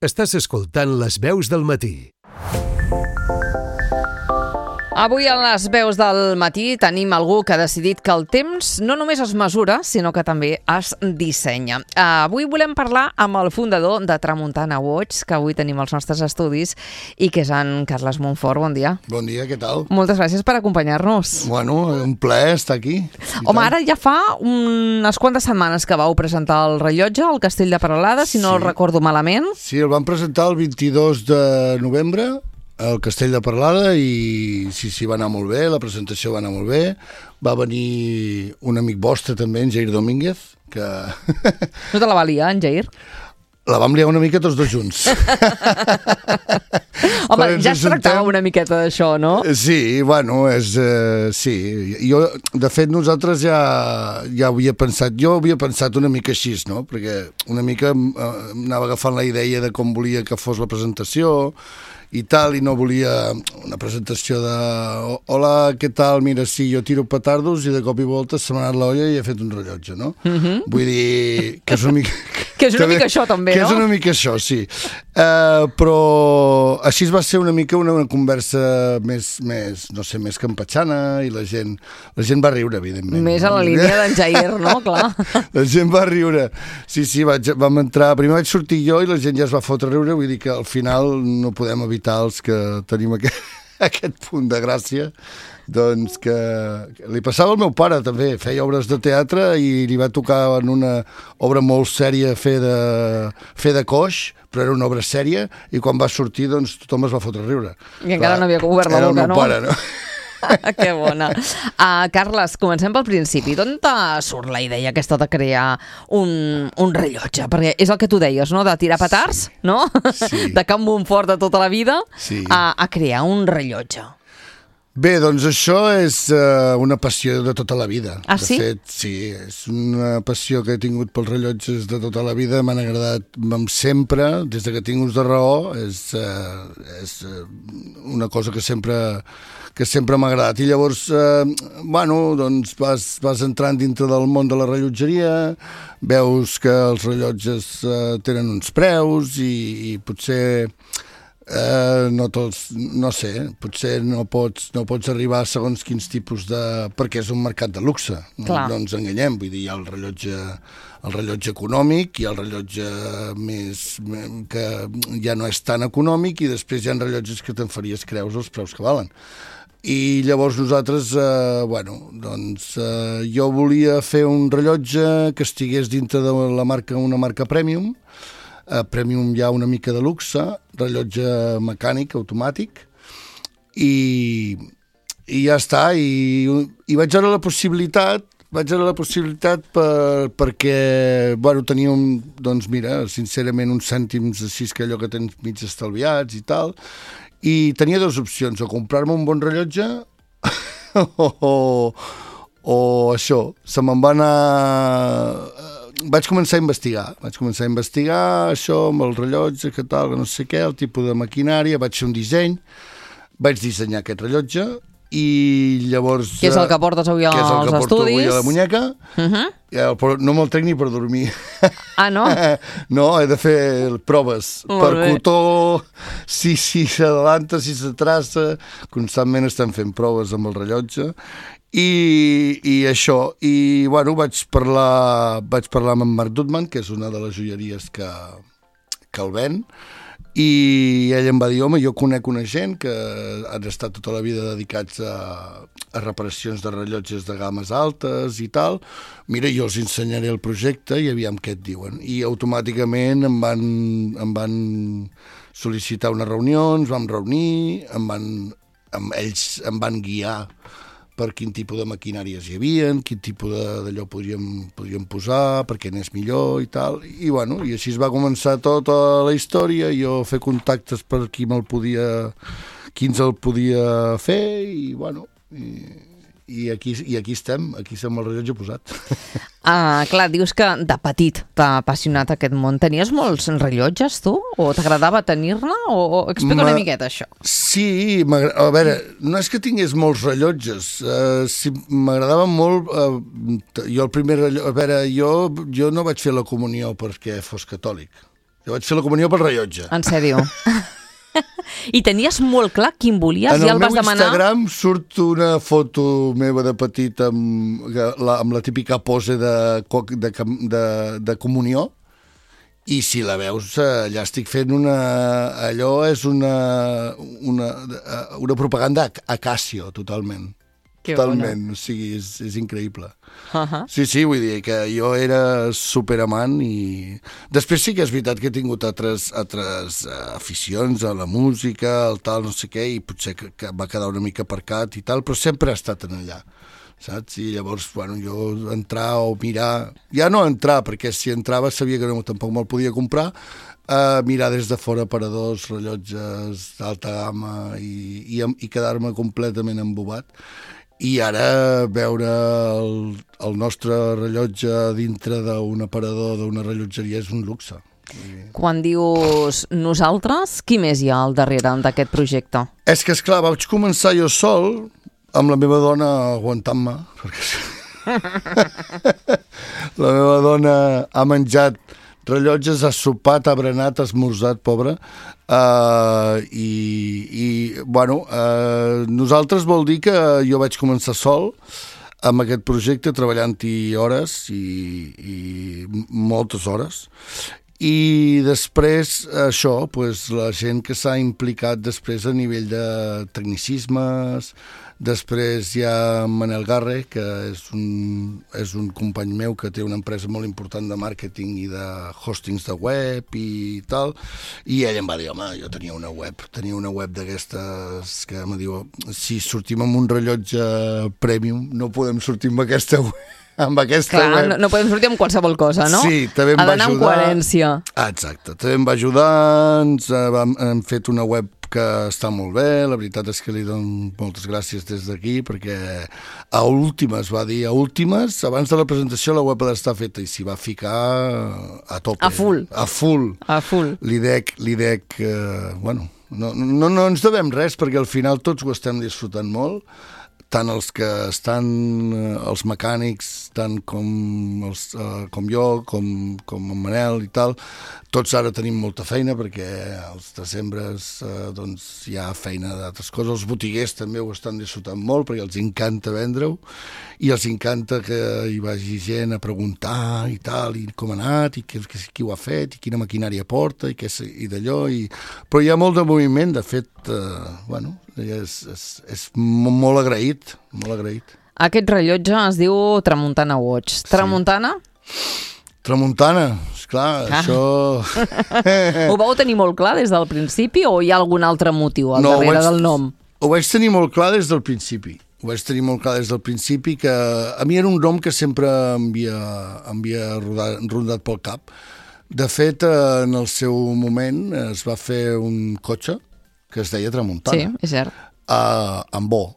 Estàs escoltant Les Veus del Matí. Avui a Les Veus del Matí tenim algú que ha decidit que el temps no només es mesura, sinó que també es dissenya. Avui volem parlar amb el fundador de Tramuntana Watch, que avui tenim als nostres estudis, i que és en Carles Montfort. Bon dia. Bon dia, què tal? Moltes gràcies per acompanyar-nos. Bueno, un plaer estar aquí. Home, ara ja fa unes quantes setmanes que vau presentar el rellotge al Castell de Peralada, si no el recordo malament. Sí, el vam presentar el 22 de novembre al Castell de Peralada i sí, va anar molt bé, la presentació va anar molt bé. Va venir un amic vostre també, en Jair Domínguez, que... No te la va liar, en Jair? La vam liar una mica tots dos junts. Home, ja es tractava una miqueta d'això, no? Sí, bueno, sí. Jo, de fet, nosaltres ja havia pensat... Jo havia pensat una mica així, no? Perquè una mica anava agafant la idea de com volia que fos la presentació i tal, i no volia una presentació de hola, què tal, mira, sí, jo tiro petardos i de cop i volta se m'ha anat l'olla i he fet un rellotge, no? Vull dir que és una mica... Que és una mica això, també, no? Que és una mica això, sí. Però així va ser una mica una conversa més, no sé, més campatxana, i la gent va riure, evidentment. Més a la línia d'en Jair, no? Clar. La gent va riure. Sí, vam entrar... Primer vaig sortir jo i la gent ja es va fotre a riure, vull dir que al final no podem evitar els que tenim aquest punt de gràcia, doncs que li passava al meu pare també, feia obres de teatre i li va tocar en una obra molt sèria fer de coix, però era una obra sèria, i quan va sortir doncs tothom es va fotre a riure. I encara no havia obert la boca, no? Era el meu pare, no? Que bona. Carles, comencem pel principi. D'on surt la idea aquesta de crear un rellotge? Perquè és el que tu deies, no? De tirar petards, no? Sí. De Can Montfort de tota la vida, sí. A crear un rellotge. Bé, doncs això és una passió de tota la vida. Ah, sí? De fet, sí, és una passió que he tingut pels rellotges de tota la vida, m'han agradat sempre, des de que tinc ús de raó, és una cosa que sempre m'ha agradat. I llavors, bueno, doncs vas entrant dintre del món de la rellotgeria, veus que els rellotges tenen uns preus i potser... no tots, no sé, potser no pots arribar a segons quins tipus de... perquè és un mercat de luxe, no ens enganyem, vull dir, hi ha el rellotge econòmic, hi ha el rellotge més que ja no és tan econòmic, i després hi ha rellotges que te'n faries creus els preus que valen. I llavors nosaltres, jo volia fer un rellotge que estigués dintre de una marca Premium, Premium ja una mica de luxe, rellotge mecànic, automàtic, i ja està, i vaig veure la possibilitat perquè, teníem, doncs mira, sincerament, uns cèntims així que allò que tens mig estalviats i tal, i tenia dues opcions, o comprar-me un bon rellotge o això, se me'n va anar... Vaig començar a investigar això amb el rellotge, que tal, que no sé què, el tipus de maquinària, vaig fer un disseny, vaig dissenyar aquest rellotge, i llavors... Que és el que portes avui als estudis. Que és el que porto avui a la muñeca. No me'l trec ni per dormir. Ah, no? No, he de fer proves. Per cotó, si s'adalanta, si s'atrassa, constantment estem fent proves amb el rellotge. I això, i bueno, vaig parlar amb en Marc Dutman, que és una de les joieries que el ven, i ell em va dir, home, jo conec una gent que han estat tota la vida dedicats a reparacions de rellotges de games altes i tal, mira, jo els ensenyaré el projecte i aviam què et diuen. I automàticament em van sol·licitar unes reunions, vam reunir, ells em van guiar per quin tipus de maquinàries hi havia, quin tipus d'allò podríem posar, perquè n'és millor i tal. I bueno, i així es va començar tota la història, jo fer contactes per qui ens el podia fer, i bueno, i aquí estem amb el rellotge posat. Clar, dius que de petit t'ha apassionat aquest món. Tenies molts rellotges, tu? O t'agradava tenir-ne? O explica una miqueta, això. Sí, a veure, no és que tingués molts rellotges. Sí, m'agradava molt... Jo el primer rellotge... A veure, jo no vaig fer la comunió perquè fos catòlic. Jo vaig fer la comunió pel rellotge. En sèrio? I tenies molt clar quin volies? En Ja el el vas meu demanar? Instagram surt una foto meva de petit amb la típica pose de comunió, i si la veus, allà estic fent allò és una propaganda a Casio, totalment. Que Totalment, o sigui, és increïble. Uh-huh. Vull dir que jo era superamant i després sí que és veritat que he tingut altres aficions a la música, al tal, no sé què, i potser que va quedar una mica aparcat i tal, però sempre he estat en allà, saps? I llavors, bueno, jo entrar o mirar, ja no entrar, perquè si entrava sabia que tampoc me'l podia comprar, mirar des de fora aparadors, rellotges d'alta gamma i quedar-me completament embobat. I ara veure el nostre rellotge dintre d'un aparador, d'una rellotgeria, és un luxe. Quan dius nosaltres, qui més hi ha al darrere d'aquest projecte? És que, esclar, vaig començar jo sol, amb la meva dona aguantant-me, perquè la meva dona ha menjat rellotges, ha sopat, ha berenat, ha esmorzat, pobra, nosaltres vol dir que jo vaig començar sol amb aquest projecte, treballant-hi hores i moltes hores, i després això, la gent que s'ha implicat després a nivell de tecnicismes. Després hi ha Manel Garre, que és un company meu que té una empresa molt important de màrqueting i de hostings de web i tal, i ell em va dir, home, jo tenia una web d'aquestes que em diu, si sortim amb un rellotge premium no podem sortir amb aquesta web. Clar, no podem sortir amb qualsevol cosa, no? Sí, també em va ajudar. Ha d'anar amb coherència. Exacte, també em va ajudar, hem fet una web que està molt bé, la veritat és que li dono moltes gràcies des d'aquí, perquè a últimes, va dir, abans de la presentació la web ha d'estar feta, i s'hi va ficar a tope. A full. A full. Li dec, no ens devem res, perquè al final tots ho estem disfrutant molt, tant els que estan, els mecànics, tant com jo, com en Manel i tal, tots ara tenim molta feina perquè als decembres hi ha feina d'altres coses. Els botiguers també ho estan disfrutant molt perquè els encanta vendre-ho i els encanta que hi vagi gent a preguntar i tal, i com ha anat, i qui ho ha fet, i quina maquinària porta, i d'allò. Però hi ha molt de moviment, de fet, és molt agraït, molt agraït. Aquest rellotge es diu Tramuntana Watch. Tramuntana? Tramuntana, esclar, això... Ho vau tenir molt clar des del principi o hi ha algun altre motiu al darrere del nom? Ho vaig tenir molt clar des del principi. Que a mi era un nom que sempre m'havia rondat pel cap. De fet, en el seu moment es va fer un cotxe que es deia Tramuntana. Sí, és cert. Amb O,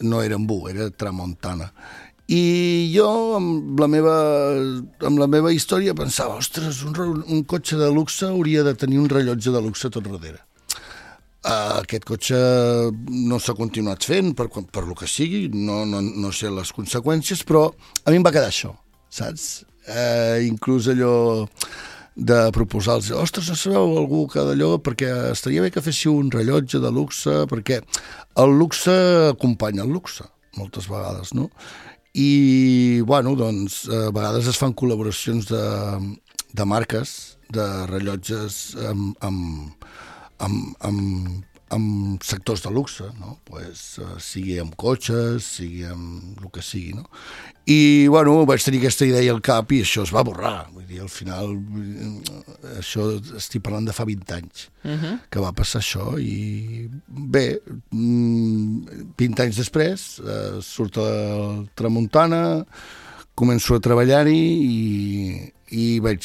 no era amb U, era Tramuntana. I jo, amb la meva història, pensava, ostres, un cotxe de luxe hauria de tenir un rellotge de luxe tot darrere. Aquest cotxe no s'ha continuat fent, per lo que sigui, no sé les conseqüències, però a mi em va quedar això, saps? Inclús allò de proposar-los, ostres, no sabeu algú que d'allò, perquè estaria bé que féssiu un rellotge de luxe, perquè el luxe acompanya el luxe, moltes vegades, no? I, a vegades es fan col·laboracions de marques, de rellotges amb sectors de luxe, no? Sigui amb cotxes, sigui amb el que sigui, no? I, vaig tenir aquesta idea al cap i això es va borrar. Vull dir, al final, això estic parlant de fa 20 anys que va passar això i bé, 20 anys després surt el Tramuntana, començo a treballar-hi i vaig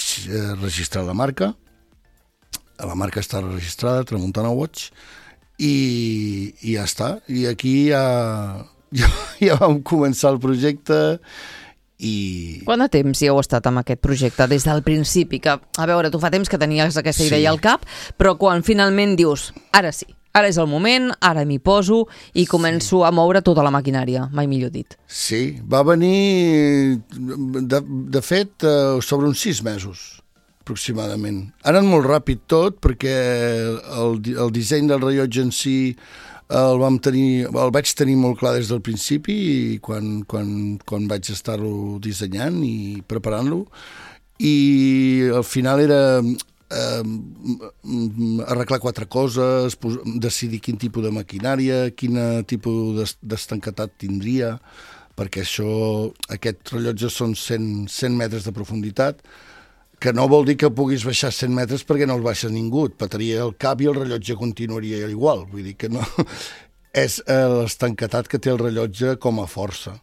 registrar la marca. La marca està registrada, Tramuntana Watch, i ja està. I aquí ja vam començar el projecte i... Quant de temps hi heu estat amb aquest projecte? Des del principi, que, a veure, tu fa temps que tenies aquesta idea al cap, però quan finalment dius, ara sí, ara és el moment, ara m'hi poso i començo a moure tota la maquinària, mai millor dit. Sí, va venir, de fet, sobre uns 6 mesos. aproximadament. Ha anat molt ràpid tot, perquè el disseny del rellotge en si el vaig tenir molt clar des del principi i quan vaig estar-lo dissenyant i preparant-lo, i al final era arreglar 4 coses, decidir quin tipus de maquinària, quin tipus d'estanquetat tindria, perquè aquest rellotge són 100 metres de profunditat, que no vol dir que puguis baixar 100 metres perquè no el baixa ningú, et petaria el cap i el rellotge continuaria igual, vull dir que no... És l'estanquetat que té el rellotge com a força,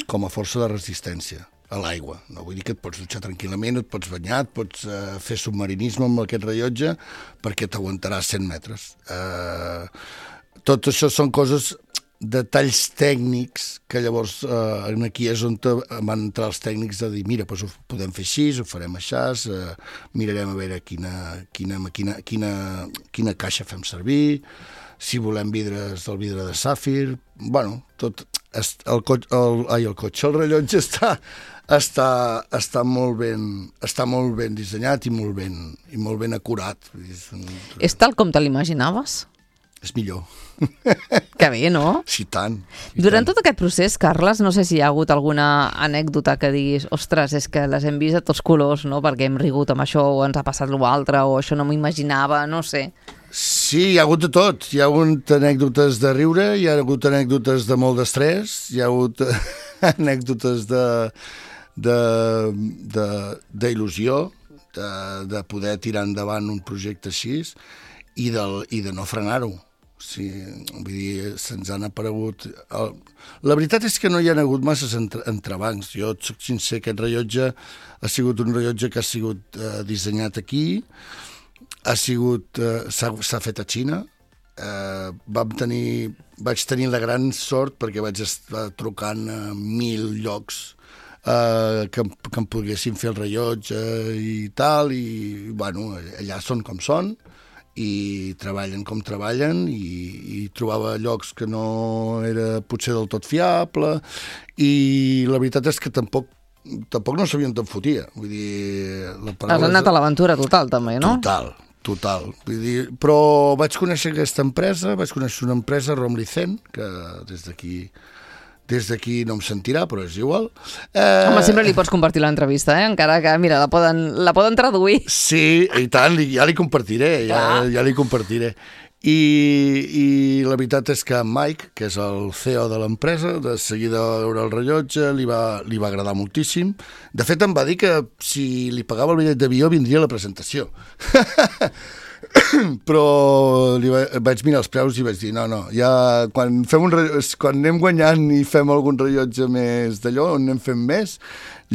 com a força de resistència a l'aigua. No vull dir que et pots dutxar tranquil·lament, et pots banyar, et pots fer submarinisme amb aquest rellotge perquè t'aguantarà 100 metres. Tot això són coses... detalls tècnics que llavors aquí és on van entrar els tècnics de dir, mira, doncs ho podem fer així, ho farem així, mirarem a veure quina caixa fem servir, si volem vidres del vidre de sàfir, bueno, tot el rellotge està molt ben dissenyat i molt ben acurat. És tal com te l'imaginaves? És millor. Que bé, no? Sí, tant. Durant tot aquest procés, Carles, no sé si hi ha hagut alguna anècdota que diguis, ostres, és que les hem vist a tots colors, no? Perquè hem rigut amb això, o ens ha passat l'altre, o això no m'ho imaginava, no sé. Sí, hi ha hagut de tot. Hi ha hagut anècdotes de riure, hi ha hagut anècdotes de molt d'estrès, hi ha hagut anècdotes d'il·lusió, de poder tirar endavant un projecte així, i de no frenar-ho. Sí, vull dir, se'ns han aparegut... La veritat és que no hi ha hagut masses entrebancs. Jo et soc sincer, aquest rellotge ha sigut un rellotge que ha sigut dissenyat aquí, s'ha fet a Xina. Vaig tenir la gran sort perquè vaig estar trucant a 1.000 llocs que em poguessin fer el rellotge i tal, i bueno, allà són com són, i treballen com treballen, i trobava llocs que no era potser del tot fiable, i la veritat és que tampoc no sabien d'on fotia. Vull dir... Has anat a l'aventura total, també, no? Total. Vull dir, però vaig conèixer aquesta empresa, vaig conèixer una empresa, Romlicen, que des d'aquí no em sentirà, però és igual. Home, sempre li pots compartir l'entrevista, encara que, mira, la poden traduir. Sí, i tant, ja li compartiré, ja li compartiré. I la veritat és que Mike, que és el CEO de l'empresa, de seguida veure el rellotge, li va agradar moltíssim. De fet, em va dir que si li pagava el bitllet d'avió vindria a la presentació. Però vaig mirar els preus i vaig dir no, ja quan anem guanyant i fem algun rellotge més d'allò, on anem fent més,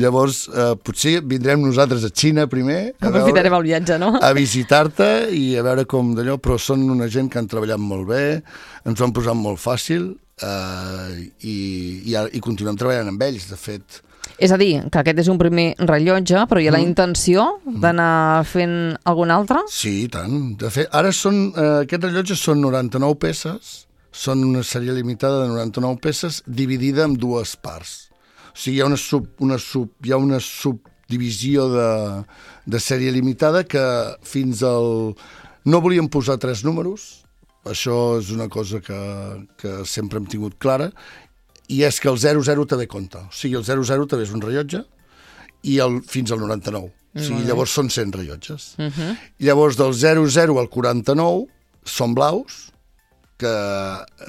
llavors potser vindrem nosaltres a Xina primer, aprofitarem el viatge, no? A visitar-te i a veure com d'allò, però són una gent que han treballat molt bé, ens ho han posat molt fàcil, i continuem treballant amb ells, de fet. És a dir, que aquest és un primer rellotge, però hi ha la intenció d'anar fent algun altre? Sí, i tant. De fet, ara aquests rellotges són 99 peces, són una sèrie limitada de 99 peces dividida en 2 parts. O sigui, hi ha una subdivisió de sèrie limitada que fins al... No volíem posar 3 números, això és una cosa que sempre hem tingut clara, i és que el 00 també compta. O sigui, el 00 també és un rellotge i fins al 99. O sigui, llavors són 100 rellotges. Llavors, del 00 al 49 són blaus, que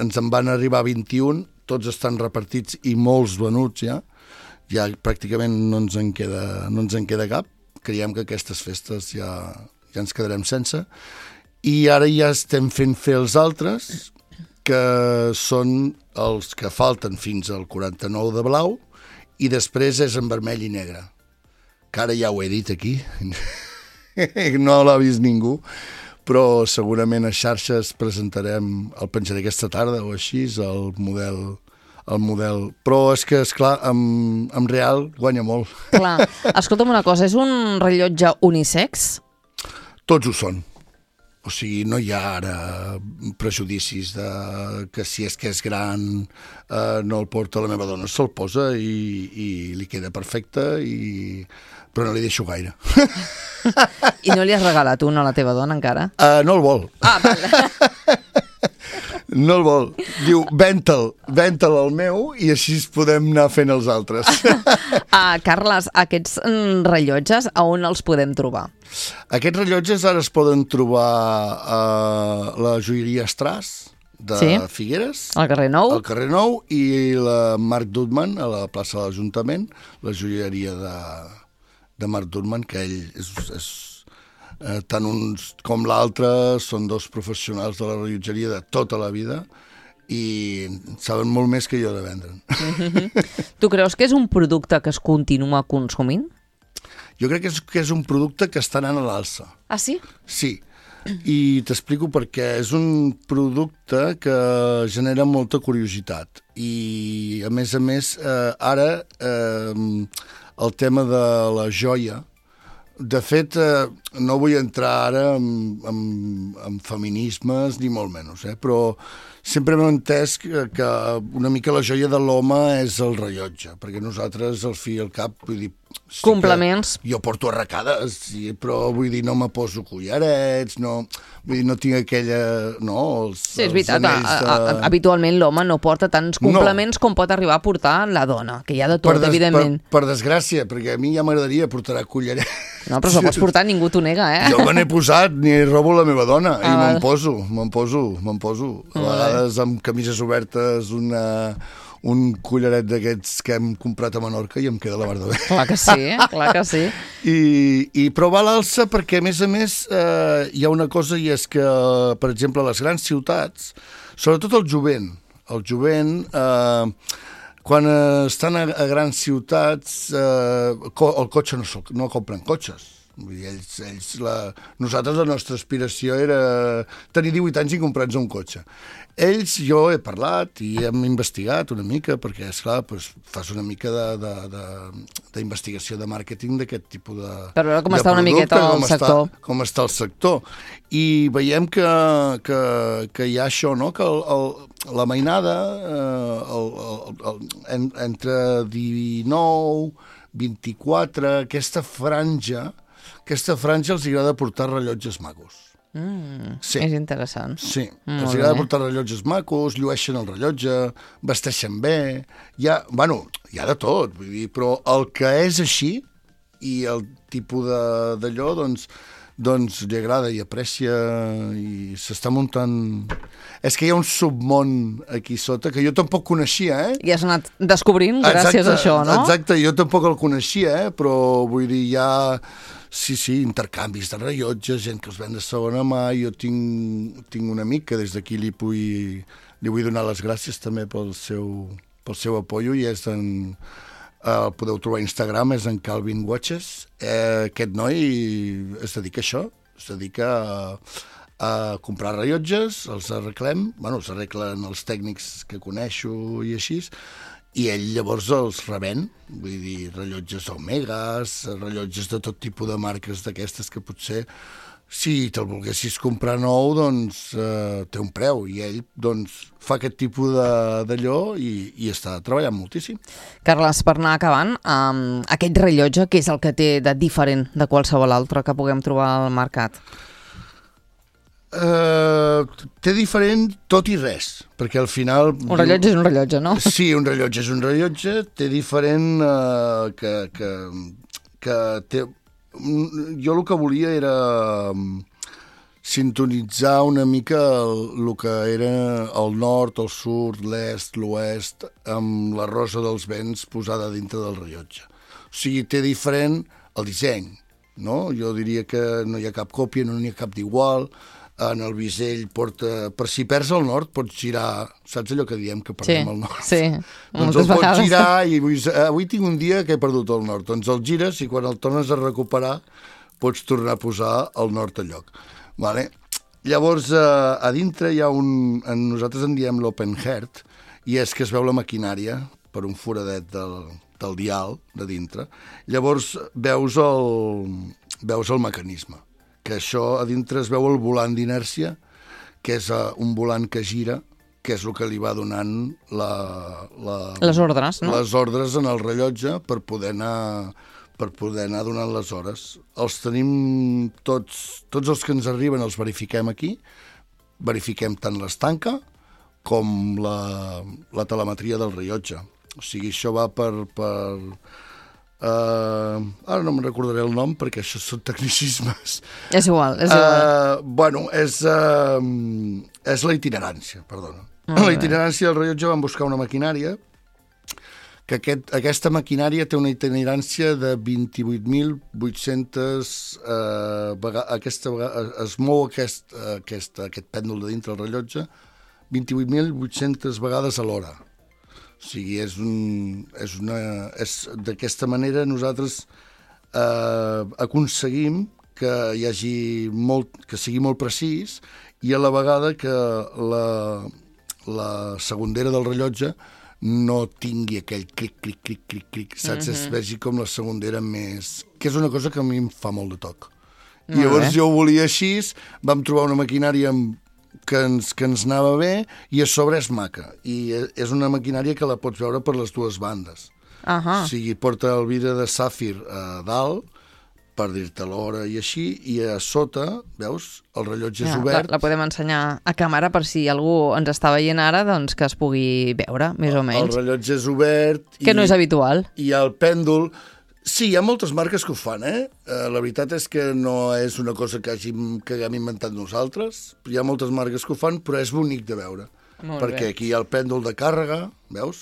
ens en van arribar 21, tots estan repartits i molts venuts ja. Ja pràcticament no ens en queda cap. Creiem que aquestes festes ja ens quedarem sense. I ara ja estem fent fer els altres, que són els que falten fins al 49 de blau, i després és en vermell i negre. Que ara ja ho he dit aquí, no l'ha vist ningú, però segurament a xarxes presentarem, el penjaré aquesta tarda o així, el model. Però és que, esclar, en real guanya molt. Clar. Escolta'm una cosa, és un rellotge unisex? Tots ho són. O sigui, no hi ha ara prejudicis de que si és que és gran no el porta la meva dona. Se'l posa i li queda perfecte, però no li deixo gaire. I no li has regalat un a la teva dona encara? No el vol. Val. No el vol. Diu, venta'l el meu i així podem anar fent els altres. Carles, aquests rellotges, a on els podem trobar? Aquests rellotges ara es poden trobar a la joieria Estràs de Figueres, al carrer Nou. al carrer Nou, i la Marc Dutman a la plaça de l'Ajuntament, la joieria de Marc Dutman, que ell és tant uns com l'altre són dos professionals de la rellotgeria de tota la vida i saben molt més que jo de vendre'n. Tu creus que és un producte que es continua consumint? Jo crec que és un producte que està anant a l'alça. Ah, sí? Sí, i t'explico perquè és un producte que genera molta curiositat i, a més, ara el tema de la joia. De fet, no vull entrar ara en feminismes, ni molt menys, però sempre m'he entès que una mica la joia de l'home és el rellotge, perquè nosaltres, al fi i al cap, vull dir... Sí, complements. Jo porto arracades, sí, però vull dir, no me poso collarets, no, vull dir, no tinc aquella... No, sí, és veritat, habitualment l'home no porta tants complements com pot arribar a portar la dona, que hi ha de tot, evidentment. Per desgràcia, perquè a mi ja m'agradaria portar collarets. No, però si ho pots portar, ningú t'ho nega, Jo me n'he posat, ni robo la meva dona, i me'n poso. A vegades amb camises obertes, un collaret d'aquests que hem comprat a Menorca i em queda la mar de bé. Clar que sí. Però va a l'alça perquè, a més, hi ha una cosa, i és que, per exemple, a les grans ciutats, sobretot el jovent, quan estan a grans ciutats, el cotxe no compren cotxes. Vull dir, nosaltres la nostra aspiració era tenir 18 anys i comprar-nos un cotxe. Jo he parlat i hem investigat una mica, perquè, esclar, fas una mica d'investigació de màrqueting d'aquest tipus de per veure com està una miqueta el sector. Com està el sector. I veiem que hi ha això, no? Que la mainada, entre 19, 24, aquesta franja els agrada portar rellotges macos. Sí. És interessant. Sí, els agrada portar rellotges macos, llueixen el rellotge, vesteixen bé, hi ha de tot, vull dir, però el que és així i el tipus d'allò, doncs li agrada i aprecia i s'està muntant... És que hi ha un submón aquí sota que jo tampoc coneixia, I has anat descobrint gràcies a això, no? Exacte, jo tampoc el coneixia, però vull dir, hi ha... Sí, intercanvis de rellotges, gent que els ven de segona mà. Jo tinc un amic que des d'aquí li vull donar les gràcies també pel seu apoyo, i és el podeu trobar a Instagram, és en Calvin Watches. Aquest noi es dedica a això, es dedica a comprar rellotges, els arreglem, els arreglen els tècnics que coneixo i així, i ell llavors els revèn, vull dir, rellotges Omegas, rellotges de tot tipus de marques d'aquestes que potser, si te'l volguessis comprar nou, doncs té un preu, i ell doncs fa aquest tipus d'allò i està treballant moltíssim. Carles, per anar acabant, aquest rellotge, què és el que té de diferent de qualsevol altre que puguem trobar al mercat? Té diferent tot i res, perquè al final... Un rellotge és un rellotge, no? Sí, un rellotge és un rellotge, té diferent que té... Jo el que volia era sintonitzar una mica el que era el nord, el sud, l'est, l'oest, amb la rosa dels vents posada dintre del rellotge. O sigui, té diferent el disseny, no? Jo diria que no hi ha cap còpia, no n'hi ha cap d'igual. En el bisell porta... Per si perds el nord, pots girar... Saps allò que diem, que perdem el nord? Sí, doncs el pots girar i avui tinc un dia que he perdut el nord. Doncs el gires i quan el tornes a recuperar pots tornar a posar el nord al lloc. Vale? Llavors, a dintre hi ha nosaltres en diem l'open heart, i és que es veu la maquinària per un foradet del dial de dintre. Llavors veus el mecanisme, que això a dintre es veu el volant d'inèrcia, que és un volant que gira, que és el que li va donant les ordres, no? Les ordres en el rellotge per poder anar donant les hores. Els tenim tots els que ens arriben els verifiquem aquí, verifiquem tant l'estanca com la telemetria del rellotge. O sigui, això va per ara no me'n recordaré el nom perquè això són tecnicismes. És igual. Bueno, és la itinerància, perdona. La itinerància del rellotge van buscar una maquinària que aquesta maquinària té una itinerància de 28.800 aquesta vegada es mou aquest pèndol de dintre del rellotge 28.800 vegades a l'hora. O sigui, d'aquesta manera nosaltres aconseguim que hi hagi que sigui molt precís i a la vegada que la segondera del rellotge no tingui aquell clic, saps? Es vegi com la segondera més... que és una cosa que a mi em fa molt de toc. I llavors jo ho volia així, vam trobar una maquinària que ens anava bé i a sobre és maca. I és una maquinària que la pots veure per les dues bandes. O sigui, porta el vidre de sàfir a dalt, per dir-te l'hora i així, i a sota, veus, el rellotge és obert. La podem ensenyar a càmera per si algú ens està veient ara, doncs que es pugui veure, més o menys. El rellotge és obert. Que no és habitual. I el pèndol... Sí, hi ha moltes marques que ho fan, la veritat és que no és una cosa que haguem inventat nosaltres. Hi ha moltes marques que ho fan, però és bonic de veure. Perquè aquí hi ha el pèndol de càrrega, veus?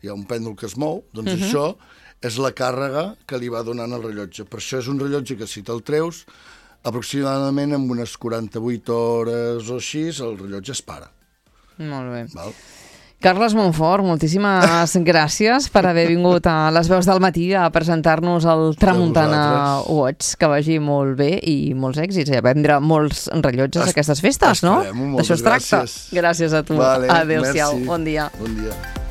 Hi ha un pèndol que es mou, doncs això és la càrrega que li va donant el rellotge. Per això és un rellotge que si te'l treus, aproximadament en unes 48 hores o així, el rellotge es para. Molt bé. Val? Carles Montfort, moltíssimes gràcies per haver vingut a Les Veus del Matí a presentar-nos el Tramuntana Watch. Que vagi molt bé i molts èxits. I a vendre molts rellotges a aquestes festes, no? D'això es tracta. Gràcies a tu. Vale, adéu-siau. merci. Bon dia. Bon dia.